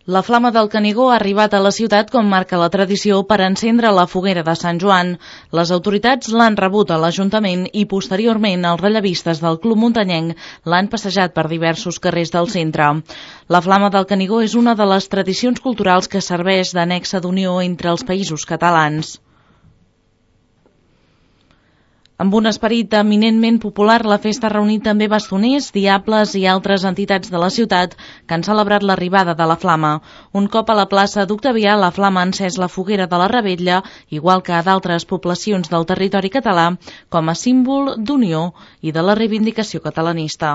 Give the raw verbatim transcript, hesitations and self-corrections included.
La Flama del Canigó ha arribat a la ciutat com marca la tradició per encendre la foguera de Sant Joan. Les autoritats l'han rebut a l'Ajuntament i posteriorment els rellevistes del Club Muntanyenc l'han passejat per diversos carrers del centre. La Flama del Canigó és una de les tradicions culturals que serveix d'annexa d'unió entre els països catalans. Amb un esperit eminentment popular, la festa ha reunit també bastoners, diables i altres entitats de la ciutat que han celebrat l'arribada de la Flama. Un cop a la plaça d'Octavià, la Flama ha encès la foguera de la Revetlla, igual que a d'altres poblacions del territori català, com a símbol d'unió i de la reivindicació catalanista.